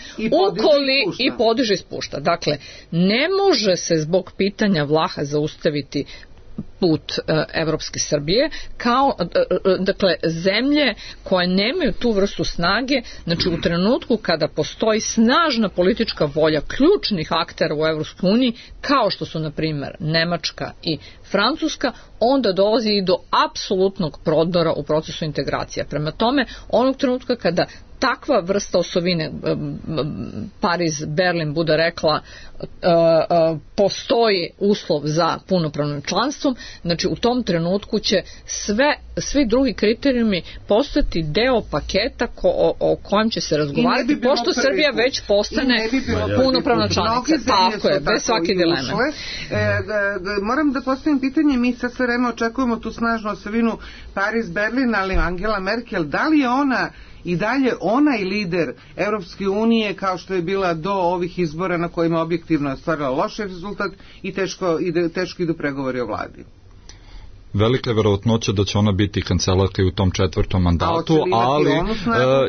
i podiže i spušta. Dakle, ne može se zbog pitanja Vlaha zaustaviti put evropske Srbije, kao dakle zemlje koje nemaju tu vrstu snage, znači u trenutku kada postoji snažna politička volja ključnih aktera u Evropskoj uniji, kao što su na primjer Nemačka i Francuska, onda dolazi i do apsolutnog prodora u procesu integracija. Prema tome, onog trenutka kada takva vrsta osovine, Pariz, Berlin bude rekla postoji uslov za punopravnim članstvom, znači u tom trenutku će svi drugi kriterijumi postati deo paketa o kojem će se razgovarati, pošto Srbija već postane punopravna članica. Tako je, bez svake dileme. Moram da postavim pitanje, mi sad sve vreme očekujemo tu snažnu osovinu Pariz, Berlin, ali Angela Merkel, da li je ona i dalje onaj lider Evropske unije kao što je bila do ovih izbora na kojima objektivno je ostvarila loš rezultat i teško idu pregovori o vladi? Velika je verovatnoća da će ona biti kancelarka i u tom 4. mandatu, ali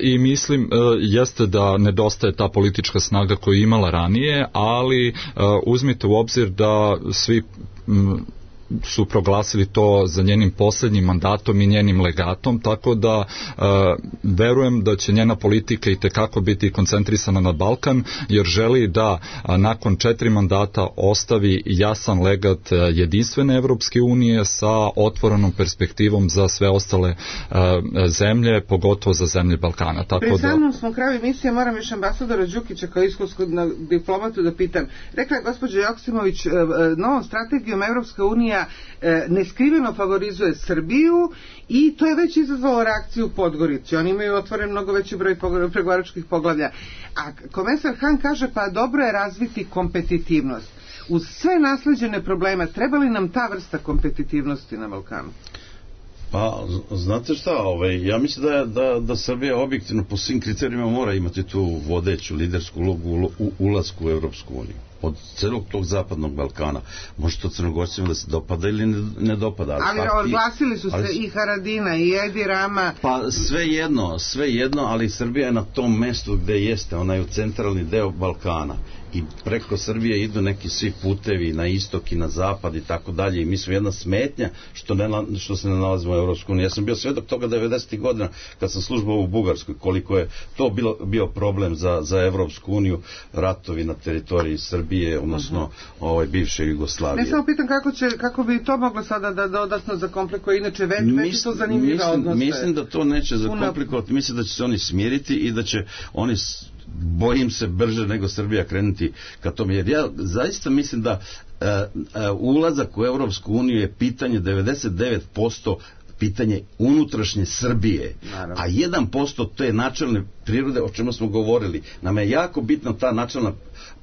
i mislim jeste da nedostaje ta politička snaga koju je imala ranije, ali uzmite u obzir da svi su proglasili to za njenim posljednjim mandatom i njenim legatom, tako da verujem da će njena politika i tekako biti koncentrisana na Balkan, jer želi da nakon 4 mandata ostavi jasan legat jedinstvene Evropske unije sa otvorenom perspektivom za sve ostale zemlje, pogotovo za zemlje Balkana. Pred samom smo kraju emisije, moram još ambasadora Đukića kao iskusnog diplomatu da pitam. Rekla je gospođa Joksimović, novom strategijom Evropska unija neskriveno favorizuje Srbiju i to je već izazvalo reakciju u Podgorici. Oni imaju otvoren mnogo veći broj pregovaračkih poglavlja. A komesar Han kaže pa dobro je razviti kompetitivnost. Uz sve nasleđene probleme, treba li nam ta vrsta kompetitivnosti na Balkanu? Pa, znate šta, ja mislim da Srbija objektivno po svim kriterijima mora imati tu vodeću lidersku ulogu u ulasku u Evropsku uniju. Od celog tog zapadnog Balkana. Može to Crnogorcima da se dopada ili ne dopada. Ali odglasili su se i Haradina i Edi Rama. Pa sve jedno, ali Srbija je na tom mestu gde jeste, ona je u centralni deo Balkana. I preko Srbije idu neki svi putevi na istok i na zapad i tako dalje i mi smo jedna smetnja što se ne nalazimo u Evropskoj uniji. Ja sam bio svedok toga 90. godina kad sam službovao u Bugarskoj, koliko je to bio problem za Evropsku uniju, ratovi na teritoriji Srbije, odnosno bivše Jugoslavije. Ne samo pitam kako bi to moglo sada da dodatno zakomplikuje, inače već to zanimljiva odnose. Mislim da to neće zakomplikovati, mislim da će se oni smiriti i da će oni, bojim se, brže nego Srbija krenuti ka tome, jer ja zaista mislim da ulazak u Evropsku uniju je pitanje 99% pitanje unutrašnje Srbije, naravno. A 1% to je načelne prirode o čemu smo govorili. Nam je jako bitna ta načelna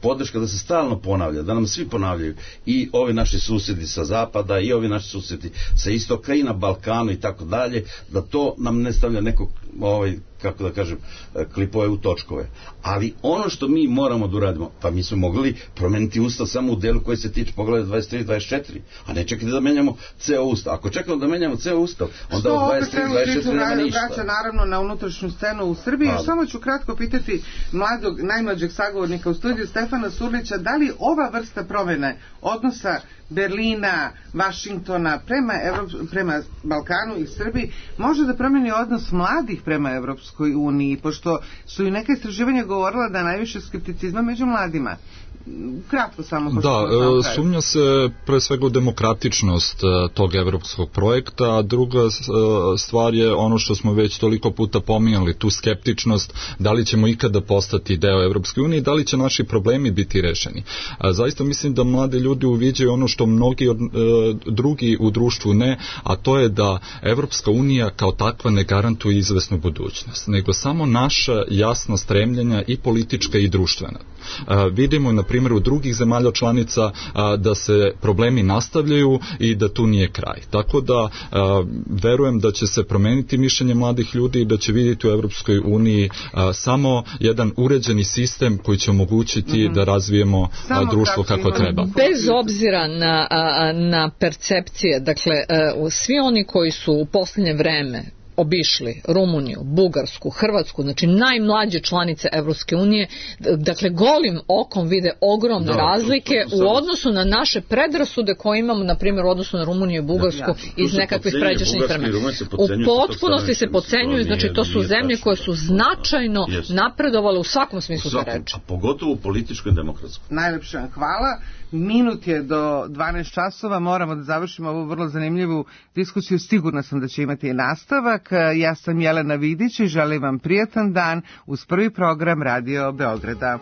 podrška da se stalno ponavlja, da nam svi ponavljaju, i ovi naši susjedi sa zapada i ovi naši susjedi sa istoka i na Balkanu i tako dalje, da to nam ne stavlja neko, kako da kažem, klipove u točkove. Ali ono što mi moramo da uradimo, pa mi smo mogli promeniti ustav samo u delu koji se tiče poglavlja 23 i 24, a ne čekati da menjamo ceo ustav. Ako čekamo da menjamo ceo ustav, onda u 23 i 24 nema ništa. Vraća naravno na unutrašnju scenu u Srbiji. Samo ću kratko pitati najmlađeg sagovornika u studiju, Stefana Surlića, da li ova vrsta promjene odnosa Berlina, Vašingtona prema Balkanu i Srbiji može da promijeni odnos mladih prema Evropskoj uniji, pošto su i neka istraživanja govorila da najviše skepticizma među mladima. Kratko samo. Da, sumnja se pre svega u demokratičnost tog evropskog projekta, a druga stvar je ono što smo već toliko puta pominjali, tu skeptičnost, da li ćemo ikada postati deo Evropske unije i da li će naši problemi biti rešeni. Zaista mislim da mladi ljudi uviđaju ono što mnogi drugi u društvu ne, a to je da Evropska unija kao takva ne garantuje izvesnu budućnost, nego samo naša jasna stremljenja i politička i društvena. Vidimo na primjer u drugih zemalja članica da se problemi nastavljaju i da tu nije kraj. Tako da verujem da će se promeniti mišljenje mladih ljudi i da će vidjeti u Evropskoj uniji samo jedan uređeni sistem koji će omogućiti da razvijemo društvo kako treba. Bez obzira na percepcije, dakle svi oni koji su u posljednje vreme obišli Rumuniju, Bugarsku, Hrvatsku, znači najmlađe članice Evropske unije, dakle golim okom vide ogromne razlike u odnosu na naše predrasude koje imamo, na primjer, u odnosu na Rumuniju i Bugarsku iz nekakvih pređašnjih vremena. U potpunosti se podcenjuju, znači to su zemlje koje su značajno napredovale u svakom smislu te reči. A pogotovo u političkoj i demokratskoj. Najlepše vam hvala. Minut je do 12 časova, moramo da završimo ovu vrlo zanimljivu diskusiju, sigurna sam da će imati i nastavak. Ja sam Jelena Vidić i želim vam prijatan dan uz prvi program Radio Beograda.